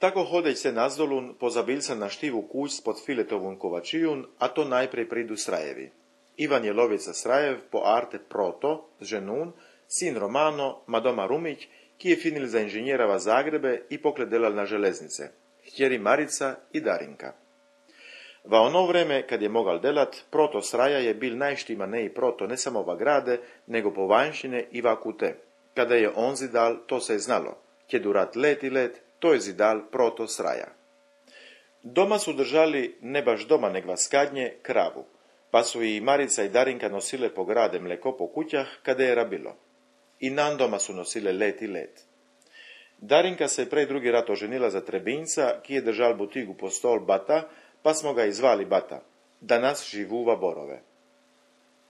Tako hodeć se nazdolun, pozabil se na štivu kuć spod filetovun kovačijun, a to najprej pridu Srajevi. Ivan je lovica Srajev po arte Proto, ženun, sin Romano, madoma Rumić, ki je finil za inženjerava Zagrebe i pokledelal na železnice, htjeri Marica i Darinka. Va ono vreme, kad je mogal delat, Proto Sraja je bil najštimaneji proto ne samo va grade, nego po vanjšine i va kute. Kada je on zidal, to se je znalo. Kje durat let i let, to je zidal Proto Sraja. Doma su držali, ne baš doma neg vaskadnje, kravu, pa su i Marica i Darinka nosile po grade mleko po kućah kada je rabilo. I nan doma su nosile let i let. Darinka se prej drugi rat oženila za Trebinca, ki je držal butigu po stol Bata, pa smo ga izvali Bata. Danas živuva Borove.